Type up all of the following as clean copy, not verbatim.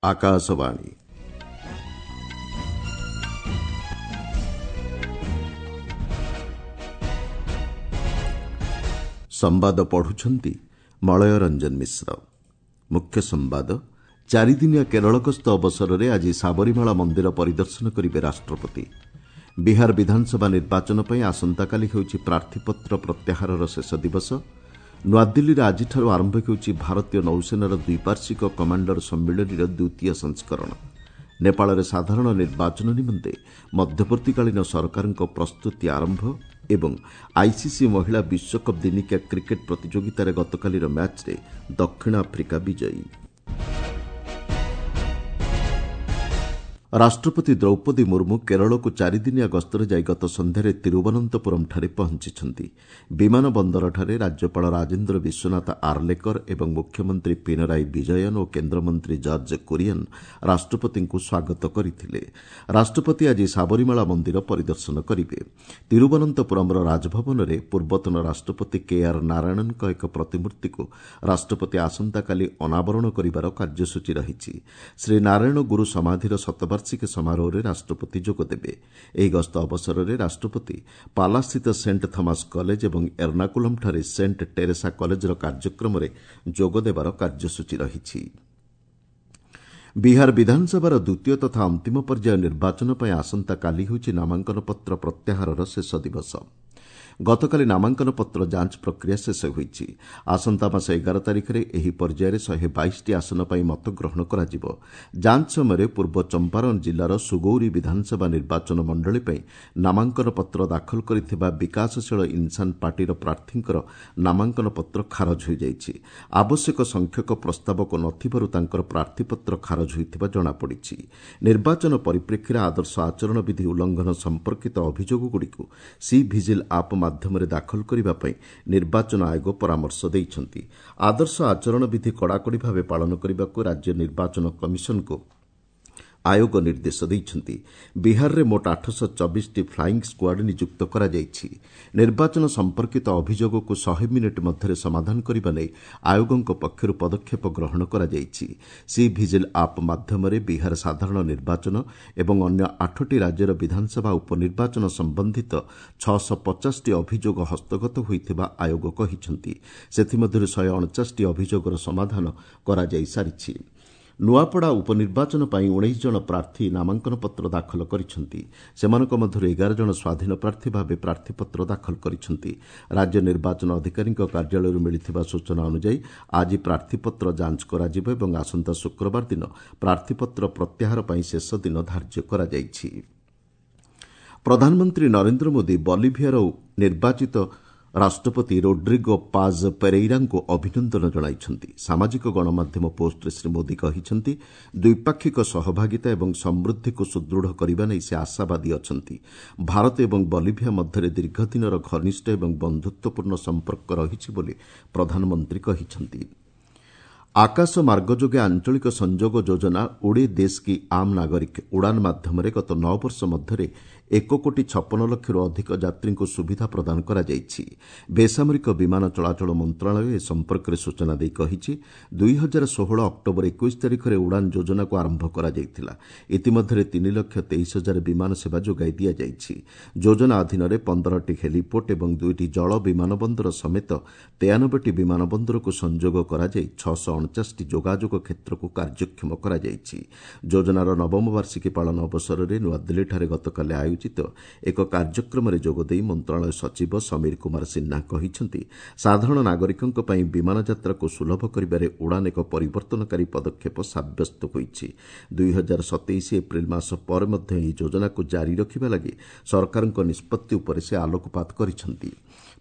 ଆକାଶବାଣୀ। ସମ୍ବାଦ ପଢୁଛନ୍ତି ମଳୟ ରଞ୍ଜନ ମିଶ୍ର। ମୁଖ୍ୟ ସମ୍ବାଦ। ଚାରିଦିନିଆ କେରଳ ଗସ୍ତ ଅବସରରେ ଆଜି ସାବରିମାଳା ମନ୍ଦିର ପରିଦର୍ଶନ କରିବେ ରାଷ୍ଟ୍ରପତି। ବିହାର ବିଧାନସଭା ନିର୍ବାଚନ ପାଇଁ ଆସନ୍ତାକାଲି ହେଉଛି ପ୍ରାର୍ଥୀପତ୍ର ପ୍ରତ୍ୟାହାରର ଶେଷ ଦିବସ। ନୂଆଦିଲ୍ଲୀରେ ଆଜିଠାରୁ ଆରମ୍ଭ ହେଉଛି ଭାରତୀୟ ନୌସେନାର ଦ୍ୱିବାର୍ଷିକ କମାଣ୍ଡର ସମ୍ମିଳନୀର ଦ୍ୱିତୀୟ ସଂସ୍କରଣ। ନେପାଳରେ ସାଧାରଣ ନିର୍ବାଚନ ନିମନ୍ତେ ମଧ୍ୟବର୍ତ୍ତୀକାଳୀନ ସରକାରଙ୍କ ପ୍ରସ୍ତୁତି ଆରମ୍ଭ ଏବଂ ଆଇସିସି ମହିଳା ବିଶ୍ୱକପ୍ ଦିନିକିଆ କ୍ରିକେଟ୍ ପ୍ରତିଯୋଗିତାରେ ଗତକାଲିର ମ୍ୟାଚ୍ରେ ଦକ୍ଷିଣ ଆଫ୍ରିକା ବିଜୟୀ। ରାଷ୍ଟ୍ରପତି ଦ୍ରୌପଦୀ ମୁର୍ମୁ କେରଳକୁ ଚାରିଦିନିଆ ଗସ୍ତରେ ଯାଇ ଗତ ସନ୍ଧ୍ୟାରେ ତିରୁବନନ୍ତପୁରମ୍ଠାରେ ପହଞ୍ଚିଛନ୍ତି। ବିମାନ ବନ୍ଦରଠାରେ ରାଜ୍ୟପାଳ ରାଜେନ୍ଦ୍ର ବିଶ୍ୱନାଥ ଆର୍ଲେକର ଏବଂ ମୁଖ୍ୟମନ୍ତ୍ରୀ ପିନରାଇ ବିଜୟନ୍ ଓ କେନ୍ଦ୍ରମନ୍ତ୍ରୀ ଜର୍ଜ କୁରିଏନ୍ ରାଷ୍ଟ୍ରପତିଙ୍କୁ ସ୍ୱାଗତ କରିଥିଲେ। ରାଷ୍ଟ୍ରପତି ଆଜି ସାବରିମାଳା ମନ୍ଦିର ପରିଦର୍ଶନ କରିବେ। ତିରୁବନନ୍ତପୁରମ୍ର ରାଜଭବନରେ ପୂର୍ବତନ ରାଷ୍ଟ୍ରପତି କେଆର୍ ନାରାୟଣନ୍ଙ୍କ ଏକ ପ୍ରତିମୂର୍ତ୍ତିକୁ ରାଷ୍ଟ୍ରପତି ଆସନ୍ତାକାଲି ଅନାବରଣ କରିବାର କାର୍ଯ୍ୟସୂଚୀ ରହିଛି। ଶ୍ରୀ ନାରାୟଣ ଗୁରୁ ସମାଧିର ଶତବାର୍ଷିକୀ ସମାରୋହରେ ରାଷ୍ଟ୍ରପତି ଯୋଗଦେବେ। ଏହି ଗସ୍ତ ଅବସରରେ ରାଷ୍ଟ୍ରପତି ପାଲାସ୍ଥିତ ସେଣ୍ଟ ଥମାସ କଲେଜ ଏବଂ ଏର୍ଣ୍ଣାକୁଲମ୍ଠାରେ ସେଣ୍ଟ ଟେରେସା କଲେଜର କାର୍ଯ୍ୟକ୍ରମରେ ଯୋଗଦେବାର କାର୍ଯ୍ୟସୂଚୀ ରହିଛି। ବିହାର ବିଧାନସଭାର ଦ୍ୱିତୀୟ ତଥା ଅନ୍ତିମ ପର୍ଯ୍ୟାୟ ନିର୍ବାଚନ ପାଇଁ ଆସନ୍ତାକାଲି ହେଉଛି ନାମାଙ୍କନପତ୍ର ପ୍ରତ୍ୟାହାରର ଶେଷ ଦିବସ। ଗତକାଲି ନାମାଙ୍କନପତ୍ର ଯାଞ୍ଚ ପ୍ରକ୍ରିୟା ଶେଷ ହୋଇଛି। ଆସନ୍ତା ମାସ 11 ତାରିଖରେ ଏହି ପର୍ଯ୍ୟାୟରେ 122ଟି ଆସନ ପାଇଁ ମତଗ୍ରହଣ କରାଯିବ। ଯାଞ୍ଚ ସମୟରେ ପୂର୍ବ ଚମ୍ପାରନ୍ ଜିଲ୍ଲାର ସୁଗୌରୀ ବିଧାନସଭା ନିର୍ବାଚନ ମଣ୍ଡଳୀ ପାଇଁ ନାମାଙ୍କନପତ୍ର ଦାଖଲ କରିଥିବା ବିକାଶଶୀଳ ଇନ୍ସାନ୍ ପାର୍ଟିର ପ୍ରାର୍ଥୀଙ୍କର ନାମାଙ୍କନପତ୍ର ଖାରଜ ହୋଇଯାଇଛି। ଆବଶ୍ୟକ ସଂଖ୍ୟକ ପ୍ରସ୍ତାବକ ନଥିବାରୁ ତାଙ୍କର ପ୍ରାର୍ଥୀପତ୍ର ଖାରଜ ହୋଇଥିବା ଜଣାପଡ଼ିଛି। ନିର୍ବାଚନ ପରିପ୍ରେକ୍ଷୀରେ ଆଦର୍ଶ ଆଚରଣ ବିଧି ଉଲ୍ଲଂଘନ ସମ୍ପର୍କିତ ଅଭିଯୋଗଗୁଡ଼ିକୁ ସି ଭିଜିଲ୍ ଆପ୍ ମାଧ୍ୟମରେ ଦାଖଲ କରିବା ପାଇଁ ନିର୍ବାଚନ ଆୟୋଗ ପରାମର୍ଶ ଦେଇଛନ୍ତି। ଆଦର୍ଶ ଆଚରଣ ବିଧି କଡ଼ାକଡ଼ି ଭାବେ ପାଳନ କରିବାକୁ ରାଜ୍ୟ ନିର୍ବାଚନ କମିଶନଙ୍କୁ ଆୟୋଗ ନିର୍ଦ୍ଦେଶ ଦେଇଛନ୍ତି। ବିହାରରେ ମୋଟ 824ଟି ଫ୍ଲାଇଂ ସ୍କ୍ୱାଡ୍ ନିଯୁକ୍ତ କରାଯାଇଛି। ନିର୍ବାଚନ ସମ୍ପର୍କିତ ଅଭିଯୋଗକୁ 100 ମିନିଟ୍ ମଧ୍ୟରେ ସମାଧାନ କରିବା ନେଇ ଆୟୋଗଙ୍କ ପକ୍ଷରୁ ପଦକ୍ଷେପ ଗ୍ରହଣ କରାଯାଇଛି। ସି ଭିଜିଲ୍ ଆପ୍ ମାଧ୍ୟମରେ ବିହାର ସାଧାରଣ ନିର୍ବାଚନ ଏବଂ ଅନ୍ୟ 8ଟି ରାଜ୍ୟର ବିଧାନସଭା ଉପନିର୍ବାଚନ ସମ୍ବନ୍ଧିତ 650ଟି ଅଭିଯୋଗ ହସ୍ତଗତ ହୋଇଥିବା ଆୟୋଗ କହିଛନ୍ତି। ସେଥିମଧ୍ୟରୁ 149ଟି ଅଭିଯୋଗର ସମାଧାନ କରାଯାଇସାରିଛି। ନୂଆପଡ଼ା ଉପନିର୍ବାଚନ ପାଇଁ 19 ଜଣ ପ୍ରାର୍ଥୀ ନାମାଙ୍କନପତ୍ର ଦାଖଲ କରିଛନ୍ତି। ସେମାନଙ୍କ ମଧ୍ୟରୁ 11 ଜଣ ସ୍ୱାଧୀନ ପ୍ରାର୍ଥୀ ଭାବେ ପ୍ରାର୍ଥୀପତ୍ର ଦାଖଲ କରିଛନ୍ତି। ରାଜ୍ୟ ନିର୍ବାଚନ ଅଧିକାରୀଙ୍କ କାର୍ଯ୍ୟାଳୟରୁ ମିଳିଥିବା ସୂଚନା ଅନୁଯାୟୀ ଆଜି ପ୍ରାର୍ଥୀପତ୍ର ଯାଞ୍ଚ କରାଯିବ ଏବଂ ଆସନ୍ତା ଶୁକ୍ରବାର ଦିନ ପ୍ରାର୍ଥୀପତ୍ର ପ୍ରତ୍ୟାହାର ପାଇଁ ଶେଷ ଦିନ ଧାର୍ଯ୍ୟ କରାଯାଇଛି। ପ୍ରଧାନମନ୍ତ୍ରୀ ନରେନ୍ଦ୍ର ମୋଦି ବଲିଭିଆର ନିର୍ବାଚିତ ରାଷ୍ଟ୍ରପତି ରୋଡ୍ରିଗୋ ପାଜ୍ ପେରେଇରାଙ୍କୁ ଅଭିନନ୍ଦନ ଜଣାଇଛନ୍ତି। ସାମାଜିକ ଗଣମାଧ୍ୟମ ପୋଷ୍ଟରେ ଶ୍ରୀ ମୋଦି କହିଛନ୍ତି, ଦ୍ୱିପାକ୍ଷିକ ସହଭାଗିତା ଏବଂ ସମୃଦ୍ଧିକୁ ସୁଦୃଢ଼ କରିବା ନେଇ ସେ ଆଶାବାଦୀ ଅଛନ୍ତି। ଭାରତ ଏବଂ ବଲିଭିଆ ମଧ୍ୟରେ ଦୀର୍ଘଦିନର ଘନିଷ୍ଠ ଏବଂ ବନ୍ଧୁତ୍ୱପୂର୍ଣ୍ଣ ସମ୍ପର୍କ ରହିଛି ବୋଲି ପ୍ରଧାନମନ୍ତ୍ରୀ କହିଛନ୍ତି। ଆକାଶ ମାର୍ଗ ଯୋଗେ ଆଞ୍ଚଳିକ ସଂଯୋଗ ଯୋଜନା ଉଡ଼େ ଦେଶ କି ଆମ୍ ନାଗରିକ ଉଡ଼ାନ୍ ମାଧ୍ୟମରେ ଗତ 9 ବର୍ଷ ମଧ୍ୟରେ 1 କୋଟି 56 ଲକ୍ଷରୁ ଅଧିକ ଯାତ୍ରୀଙ୍କୁ ସୁବିଧା ପ୍ରଦାନ କରାଯାଇଛି। ବେସାମରିକ ବିମାନ ଚଳାଚଳ ମନ୍ତ୍ରଣାଳୟ ଏ ସମ୍ପର୍କରେ ସୂଚନା ଦେଇ କହିଛି, 2016 ଅକ୍ଟୋବର 21 ତାରିଖରେ ଉଡ଼ାନ୍ ଯୋଜନାକୁ ଆରମ୍ଭ କରାଯାଇଥିଲା। ଇତିମଧ୍ୟରେ 3 ଲକ୍ଷ 23 ହଜାର ବିମାନ ସେବା ଯୋଗାଇ ଦିଆଯାଇଛି। ଯୋଜନା ଅଧୀନରେ 15ଟି ହେଲିପୋର୍ଟ ଏବଂ 2ଟି ଜଳ ବିମାନ ବନ୍ଦର ସମେତ 93ଟି ବିମାନ ବନ୍ଦରକୁ ସଂଯୋଗ କରାଯାଇ 649ଟି ଯୋଗାଯୋଗ କ୍ଷେତ୍ରକୁ କାର୍ଯ୍ୟକ୍ଷମ କରାଯାଇଛି। ଯୋଜନାର ନବମ ବାର୍ଷିକୀ ପାଳନ ଅବସରରେ ନୂଆଦିଲ୍ଲୀଠାରେ ଗତକାଲି ଆୟୋଜିତ ଏକ କାର୍ଯ୍ୟକ୍ରମରେ ଯୋଗଦେଇ ମନ୍ତ୍ରଣାଳୟ ସଚିବ ସମୀର କୁମାର ସିହ୍ନା କହିଛନ୍ତି, ସାଧାରଣ ନାଗରିକଙ୍କ ପାଇଁ ବିମାନ ଯାତ୍ରାକୁ ସୁଲଭ କରିବାରେ ଉଡ଼ାନ୍ ଏକ ପରିବର୍ତ୍ତନକାରୀ ପଦକ୍ଷେପ ସାବ୍ୟସ୍ତ ହୋଇଛି। 2027 ଏପ୍ରିଲ ମାସ ପରେ ମଧ୍ୟ ଏହି ଯୋଜନାକୁ ଜାରି ରଖିବା ଲାଗି ସରକାରଙ୍କ ନିଷ୍ପତ୍ତି ଉପରେ ସେ ଆଲୋକପାତ କରିଛନ୍ତି।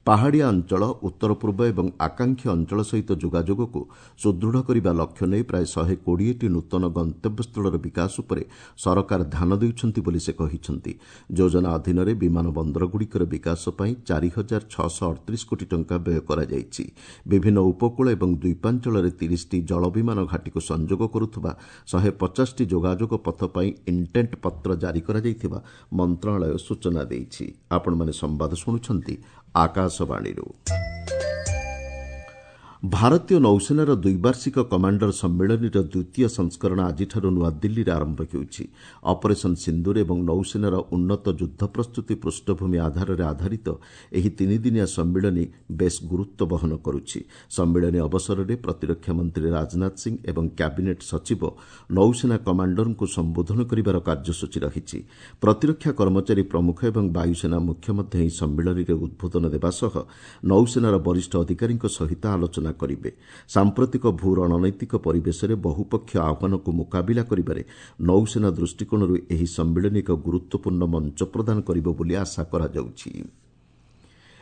ପାହାଡ଼ିଆ ଅଞ୍ଚଳ, ଉତ୍ତର ପୂର୍ବ ଏବଂ ଆକାଂକ୍ଷୀ ଅଞ୍ଚଳ ସହିତ ଯୋଗାଯୋଗକୁ ସୁଦୃଢ଼ କରିବା ଲକ୍ଷ୍ୟ ନେଇ ପ୍ରାୟ 120ଟି ନୂତନ ଗନ୍ତବ୍ୟସ୍ଥଳର ବିକାଶ ଉପରେ ସରକାର ଧ୍ୟାନ ଦେଉଛନ୍ତି ବୋଲି ସେ କହିଛନ୍ତି। ଯୋଜନା ଅଧୀନରେ ବିମାନ ବନ୍ଦରଗୁଡ଼ିକର ବିକାଶ ପାଇଁ 4638 କୋଟି ଟଙ୍କା ବ୍ୟୟ କରାଯାଇଛି। ବିଭିନ୍ନ ଉପକୂଳ ଏବଂ ଦ୍ୱୀପାଞ୍ଚଳରେ 30ଟି ଜଳବିମାନ ଘାଟିକୁ ସଂଯୋଗ କରୁଥିବା 150ଟି ଯୋଗାଯୋଗ ପଥ ପାଇଁ ଇଣ୍ଟେଣ୍ଟ ପତ୍ର ଜାରି କରାଯାଇଥିବା ମନ୍ତ୍ରଣାଳୟ ସୂଚନା ଦେଇଛି। ଆପଣମାନେ ସମ୍ବାଦ ଶୁଣୁଛନ୍ତି ଆକାଶବାଣୀରୁ। ଭାରତୀୟ ନୌସେନାର ଦ୍ୱିବାର୍ଷିକ କମାଣ୍ଡର ସମ୍ମିଳନୀର ଦ୍ୱିତୀୟ ସଂସ୍କରଣ ଆଜିଠାରୁ ନୂଆଦିଲ୍ଲୀରେ ଆରମ୍ଭ ହେଉଛି। ଅପରେସନ୍ ସିନ୍ଦୁର ଏବଂ ନୌସେନାର ଉନ୍ନତ ଯୁଦ୍ଧ ପ୍ରସ୍ତୁତି ପୃଷ୍ଠଭୂମି ଆଧାରରେ ଆଧାରିତ ଏହି ତିନିଦିନିଆ ସମ୍ମିଳନୀ ବେଶ୍ ଗୁରୁତ୍ୱ ବହନ କରୁଛି। ସମ୍ମିଳନୀ ଅବସରରେ ପ୍ରତିରକ୍ଷା ମନ୍ତ୍ରୀ ରାଜନାଥ ସିଂ ଏବଂ କ୍ୟାବିନେଟ୍ ସଚିବ ନୌସେନା କମାଣ୍ଡରଙ୍କୁ ସମ୍ବୋଧନ କରିବାର କାର୍ଯ୍ୟସୂଚୀ ରହିଛି। ପ୍ରତିରକ୍ଷା କର୍ମଚାରୀ ପ୍ରମୁଖ ଏବଂ ବାୟୁସେନା ମୁଖ୍ୟ ମଧ୍ୟ ଏହି ସମ୍ମିଳନୀରେ ଉଦ୍ବୋଧନ ଦେବା ସହ ନୌସେନାର ବରିଷ୍ଠ ଅଧିକାରୀଙ୍କ ସହିତ ଆଲୋଚନା କରିବେ। ସାମ୍ପ୍ରତିକ ଭୂ ରଣନୈତିକ ପରିବେଶରେ ବହୁପକ୍ଷୀୟ ଆହ୍ୱାନକୁ ମୁକାବିଲା କରିବାରେ ନୌସେନା ଦୃଷ୍ଟିକୋଣରୁ ଏହି ସମ୍ମିଳନୀ ଏକ ଗୁରୁତ୍ୱପୂର୍ଣ୍ଣ ମଞ୍ଚ ପ୍ରଦାନ କରିବ ବୋଲି ଆଶା କରାଯାଉଛି।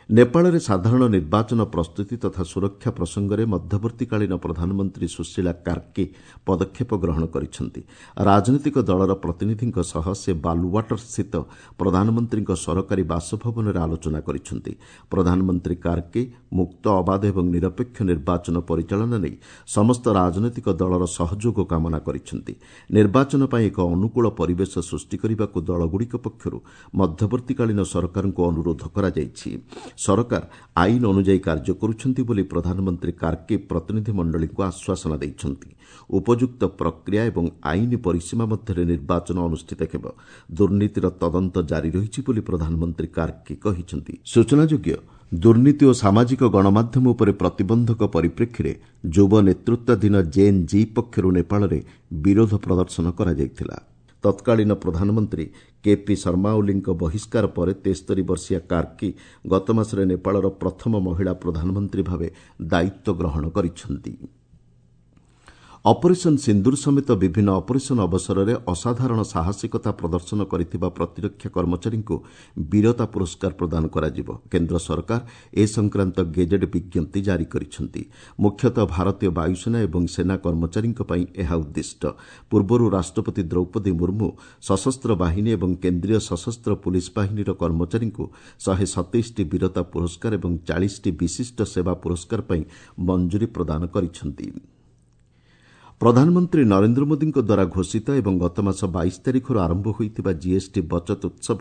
ନେପାଳରେ ସାଧାରଣ ନିର୍ବାଚନ ପ୍ରସ୍ତୁତି ତଥା ସୁରକ୍ଷା ପ୍ରସଙ୍ଗରେ ମଧ୍ୟବର୍ତ୍ତୀକାଳୀନ ପ୍ରଧାନମନ୍ତ୍ରୀ ସୁଶୀଳା କାର୍କି ପଦକ୍ଷେପ ଗ୍ରହଣ କରିଛନ୍ତି। ରାଜନୈତିକ ଦଳର ପ୍ରତିନିଧିଙ୍କ ସହ ସେ ବାଲୁୱାଟରସ୍ଥିତ ପ୍ରଧାନମନ୍ତ୍ରୀଙ୍କ ସରକାରୀ ବାସଭବନରେ ଆଲୋଚନା କରିଛନ୍ତି। ପ୍ରଧାନମନ୍ତ୍ରୀ କାର୍କି ମୁକ୍ତ, ଅବାଧ ଏବଂ ନିରପେକ୍ଷ ନିର୍ବାଚନ ପରିଚାଳନା ନେଇ ସମସ୍ତ ରାଜନୈତିକ ଦଳର ସହଯୋଗ କାମନା କରିଛନ୍ତି। ନିର୍ବାଚନ ପାଇଁ ଏକ ଅନୁକୂଳ ପରିବେଶ ସୃଷ୍ଟି କରିବାକୁ ଦଳଗୁଡ଼ିକ ପକ୍ଷରୁ ମଧ୍ୟବର୍ତ୍ତୀକାଳୀନ ସରକାରଙ୍କୁ ଅନୁରୋଧ କରାଯାଇଛି। ସରକାର ଆଇନ ଅନୁଯାୟୀ କାର୍ଯ୍ୟ କରୁଛନ୍ତି ବୋଲି ପ୍ରଧାନମନ୍ତ୍ରୀ କାର୍କି ପ୍ରତିନିଧିମଣ୍ଡଳୀଙ୍କୁ ଆଶ୍ୱାସନା ଦେଇଛନ୍ତି। ଉପଯୁକ୍ତ ପ୍ରକ୍ରିୟା ଏବଂ ଆଇନ ପରିସୀମା ମଧ୍ୟରେ ନିର୍ବାଚନ ଅନୁଷ୍ଠିତ ହେବ। ଦୁର୍ନୀତିର ତଦନ୍ତ ଜାରି ରହିଛି ବୋଲି ପ୍ରଧାନମନ୍ତ୍ରୀ କାର୍କି କହିଛନ୍ତି। ସୂଚନାଯୋଗ୍ୟ, ଦୁର୍ନୀତି ଓ ସାମାଜିକ ଗଣମାଧ୍ୟମ ଉପରେ ପ୍ରତିବନ୍ଧକ ପରିପ୍ରେକ୍ଷୀରେ ଯୁବ ନେତୃତ୍ୱାଧୀନ ଜେନ୍ ଜି ପକ୍ଷରୁ ନେପାଳରେ ବିରୋଧ ପ୍ରଦର୍ଶନ କରାଯାଇଥିଲା। ତତ୍କାଳୀନ ପ୍ରଧାନମନ୍ତ୍ରୀ କେପି ଶର୍ମା ଓଲିଙ୍କ ବହିଷ୍କାର ପରେ 73 ବର୍ଷୀୟା କାର୍କି ଗତମାସରେ ନେପାଳର ପ୍ରଥମ ମହିଳା ପ୍ରଧାନମନ୍ତ୍ରୀ ଭାବେ ଦାୟିତ୍ୱ ଗ୍ରହଣ କରିଛନ୍ତି। ଅପରେସନ୍ ସିନ୍ଦୁର ସମେତ ବିଭିନ୍ନ ଅପରେସନ୍ ଅବସରରେ ଅସାଧାରଣ ସାହସିକତା ପ୍ରଦର୍ଶନ କରିଥିବା ପ୍ରତିରକ୍ଷା କର୍ମଚାରୀଙ୍କୁ ବୀରତା ପୁରସ୍କାର ପ୍ରଦାନ କରାଯିବ। କେନ୍ଦ୍ର ସରକାର ଏ ସଂକ୍ରାନ୍ତ ଗେଜେଟ୍ ବିଜ୍ଞପ୍ତି ଜାରି କରିଛନ୍ତି। ମୁଖ୍ୟତଃ ଭାରତୀୟ ବାୟୁସେନା ଏବଂ ସେନା କର୍ମଚାରୀଙ୍କ ପାଇଁ ଏହା ଉଦ୍ଦିଷ୍ଟ। ପୂର୍ବରୁ ରାଷ୍ଟ୍ରପତି ଦ୍ରୌପଦୀ ମୁର୍ମୁ ସଶସ୍ତ୍ର ବାହିନୀ ଏବଂ କେନ୍ଦ୍ରୀୟ ସଶସ୍ତ୍ର ପୁଲିସ୍ ବାହିନୀର କର୍ମଚାରୀଙ୍କୁ 127ଟି ବୀରତା ପୁରସ୍କାର ଏବଂ 40ଟି ବିଶିଷ୍ଟ ସେବା ପୁରସ୍କାର ପାଇଁ ମଞ୍ଜୁରୀ ପ୍ରଦାନ କରିଛନ୍ତି। ପ୍ରଧାନମନ୍ତ୍ରୀ ନରେନ୍ଦ୍ର ମୋଦିଙ୍କ ଦ୍ୱାରା ଘୋଷିତ ଏବଂ ଗତମାସ 22 ତାରିଖରୁ ଆରମ୍ଭ ହୋଇଥିବା ଜିଏସ୍ଟି ବଚତ ଉତ୍ସବ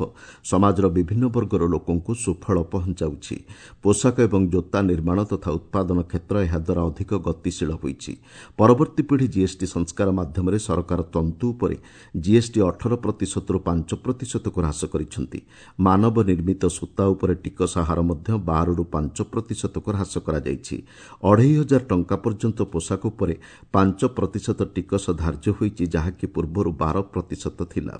ସମାଜର ବିଭିନ୍ନ ବର୍ଗର ଲୋକଙ୍କୁ ସୁଫଳ ପହଞ୍ଚାଉଛି। ପୋଷାକ ଏବଂ ଜୋତା ନିର୍ମାଣ ତଥା ଉତ୍ପାଦନ କ୍ଷେତ୍ର ଏହାଦ୍ୱାରା ଅଧିକ ଗତିଶୀଳ ହୋଇଛି। ପରବର୍ତ୍ତୀ ପିଢ଼ି ଜିଏସ୍ଟି ସଂସ୍କାର ମାଧ୍ୟମରେ ସରକାର ତନ୍ତୁ ଉପରେ ଜିଏସ୍ଟି 18 ପ୍ରତିଶତରୁ 5 ପ୍ରତିଶତକୁ ହ୍ରାସ କରିଛନ୍ତି। ମାନବ ନିର୍ମିତ ସୂତା ଉପରେ ଟିକସ ହାର ମଧ୍ୟ 12ରୁ 5 ପ୍ରତିଶତକୁ ହ୍ରାସ କରାଯାଇଛି। 2500 ଟଙ୍କା ପର୍ଯ୍ୟନ୍ତ ପୋଷାକ ଉପରେ 5 ପ୍ରତିଶତ ଟିକସ ଧାର୍ଯ୍ୟ ହୋଇଛି, ଯାହାକି ପୂର୍ବରୁ 12 ପ୍ରତିଶତ ଥିଲା।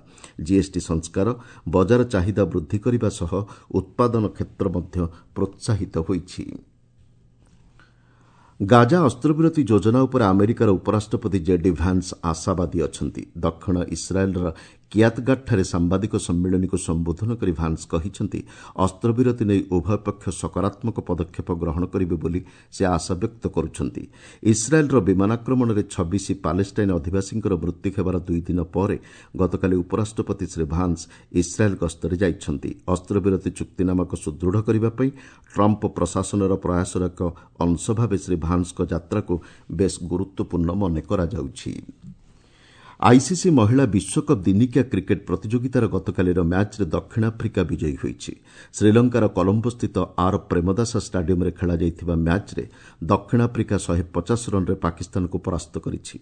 ଜିଏସ୍ଟି ସଂସ୍କାର ବଜାର ଚାହିଦା ବୃଦ୍ଧି କରିବା ସହ ଉତ୍ପାଦନ କ୍ଷେତ୍ର ମଧ୍ୟ ପ୍ରୋତ୍ସାହିତ ହୋଇଛି। ଗାଜା ଅସ୍ତ୍ରବିରତି ଯୋଜନା ଉପରେ ଆମେରିକାର ଉପରାଷ୍ଟ୍ରପତି ଜେଡି ଭାନ୍ସ ଆଶାବାଦୀ ଅଛନ୍ତି। ଦକ୍ଷିଣ ଇସ୍ରାଏଲ୍ର କିୟାତଗାଟ୍ଠାରେ ସାମ୍ବାଦିକ ସମ୍ମିଳନୀକୁ ସମ୍ବୋଧନ କରି ଭାନ୍ସ କହିଛନ୍ତି, ଅସ୍ତ୍ରବିରତି ନେଇ ଉଭୟ ପକ୍ଷ ସକାରାତ୍ମକ ପଦକ୍ଷେପ ଗ୍ରହଣ କରିବେ ବୋଲି ସେ ଆଶାବ୍ୟକ୍ତ କରୁଛନ୍ତି। ଇସ୍ରାଏଲ୍ର ବିମାନ ଆକ୍ରମଣରେ 26 ପାଲେଷ୍ଟାଇନ୍ ଅଧିବାସୀଙ୍କର ମୃତ୍ୟୁ ହେବାର 2 ଦିନ ପରେ ଗତକାଲି ଉପରାଷ୍ଟ୍ରପତି ଶ୍ରୀ ଭାନ୍ସ ଇସ୍ରାଏଲ୍ ଗସ୍ତରେ ଯାଇଛନ୍ତି। ଅସ୍ତ୍ରବିରତି ଚୁକ୍ତିନାମାକୁ ସୁଦୃଢ଼ କରିବା ପାଇଁ ଟ୍ରମ୍ପ ପ୍ରଶାସନର ପ୍ରୟାସର ଏକ ଅଂଶ ଭାବେ ଶ୍ରୀ ଭାନ୍ସଙ୍କ ଯାତ୍ରାକୁ ବେଶ୍ ଗୁରୁତ୍ୱପୂର୍ଣ୍ଣ ମନେ କରାଯାଉଛି। ଆଇସିସି ମହିଳା ବିଶ୍ୱକପ୍ ଦିନିକିଆ କ୍ରିକେଟ୍ ପ୍ରତିଯୋଗିତାର ଗତକାଲିର ମ୍ୟାଚ୍ରେ ଦକ୍ଷିଣ ଆଫ୍ରିକା ବିଜୟୀ ହୋଇଛି। ଶ୍ରୀଲଙ୍କାର କଲମ୍ବୋସ୍ଥିତ ଆର୍ ପ୍ରେମଦାସା ଷ୍ଟାଡିୟମ୍ରେ ଖେଳାଯାଇଥିବା ମ୍ୟାଚ୍ରେ ଦକ୍ଷିଣ ଆଫ୍ରିକା 150 ରନ୍ରେ ପାକିସ୍ତାନକୁ ପରାସ୍ତ କରିଛି।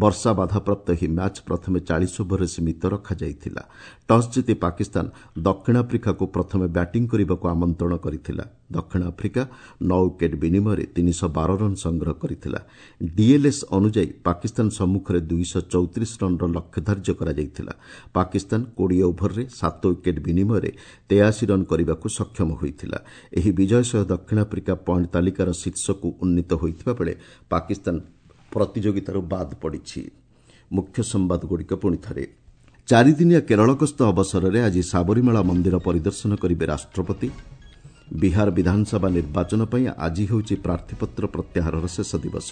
ବର୍ଷା ବାଧାପ୍ରାପ୍ତ ଏହି ମ୍ୟାଚ୍ ପ୍ରଥମେ 40 ଓଭରରେ ସୀମିତ ରଖାଯାଇଥିଲା। ଟସ୍ ଜିତି ପାକିସ୍ତାନ ଦକ୍ଷିଣ ଆଫ୍ରିକାକୁ ପ୍ରଥମେ ବ୍ୟାଟିଂ କରିବାକୁ ଆମନ୍ତ୍ରଣ କରିଥିଲା। ଦକ୍ଷିଣ ଆଫ୍ରିକା 9 ୱିକେଟ୍ ବିନିମୟରେ 312 ରନ୍ ସଂଗ୍ରହ କରିଥିଲା। ଡିଏଲ୍ଏସ୍ ଅନୁଯାୟୀ ପାକିସ୍ତାନ ସମ୍ମୁଖରେ 234 ରନ୍ର ଲକ୍ଷ୍ୟ ଧାର୍ଯ୍ୟ କରାଯାଇଥିଲା। ପାକିସ୍ତାନ 20 ଓଭରରେ 7 ୱିକେଟ୍ ବିନିମୟରେ 83 ରନ୍ କରିବାକୁ ସକ୍ଷମ ହୋଇଥିଲା। ଏହି ବିଜୟ ସହ ଦକ୍ଷିଣ ଆଫ୍ରିକା ପଏଣ୍ଟ ତାଲିକାର ଶୀର୍ଷକୁ ଉନ୍ନୀତ ହୋଇଥିବା ବେଳେ ପାକିସ୍ତାନ ପ୍ରତିଯୋଗିତାରୁ ବାଦ୍ ପଡ଼ିଛି। ମୁଖ୍ୟ ସମ୍ବାଦଗୁଡ଼ିକ ପୁଣି ଥରେ। ଚାରିଦିନିଆ କେରଳ ଗସ୍ତ ଅବସରରେ ଆଜି ସାବରିମାଳା ମନ୍ଦିର ପରିଦର୍ଶନ କରିବେ ରାଷ୍ଟ୍ରପତି। ବିହାର ବିଧାନସଭା ନିର୍ବାଚନ ପାଇଁ ଆଜି ହେଉଛି ପ୍ରାର୍ଥୀପତ୍ର ପ୍ରତ୍ୟାହାରର ଶେଷ ଦିବସ।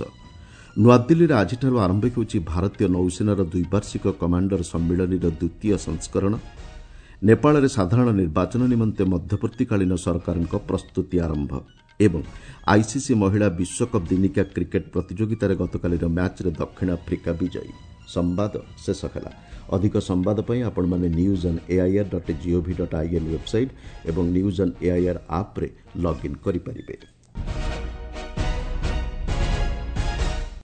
ନୂଆଦିଲ୍ଲୀରେ ଆଜିଠାରୁ ଆରମ୍ଭ ହେଉଛି ଭାରତୀୟ ନୌସେନାର ଦ୍ୱିବାର୍ଷିକ କମାଣ୍ଡର ସମ୍ମିଳନୀର ଦ୍ୱିତୀୟ ସଂସ୍କରଣ। ନେପାଳରେ ସାଧାରଣ ନିର୍ବାଚନ ନିମନ୍ତେ ମଧ୍ୟବର୍ତ୍ତୀକାଳୀନ ସରକାରଙ୍କ ପ୍ରସ୍ତୁତି ଆରମ୍ଭ ଏବଂ ଆଇସିସି ମହିଳା ବିଶ୍ୱକପ୍ ଦିନିକିଆ କ୍ରିକେଟ୍ ପ୍ରତିଯୋଗିତାରେ ଗତକାଲିର ମ୍ୟାଚ୍ରେ ଦକ୍ଷିଣ ଆଫ୍ରିକା ବିଜୟୀ। ସମ୍ବାଦ ଶେଷ ହେଲା। ଅଧିକ ସମ୍ବାଦ ପାଇଁ ଆପଣମାନେ news on AIR dot gov dot in website ଏବଂ ନ୍ୟୁଜ୍ ଅନ୍ ଏଆଇଆର୍ ଆପ୍ରେ ଲଗ୍ଇନ୍ କରିପାରିବେ।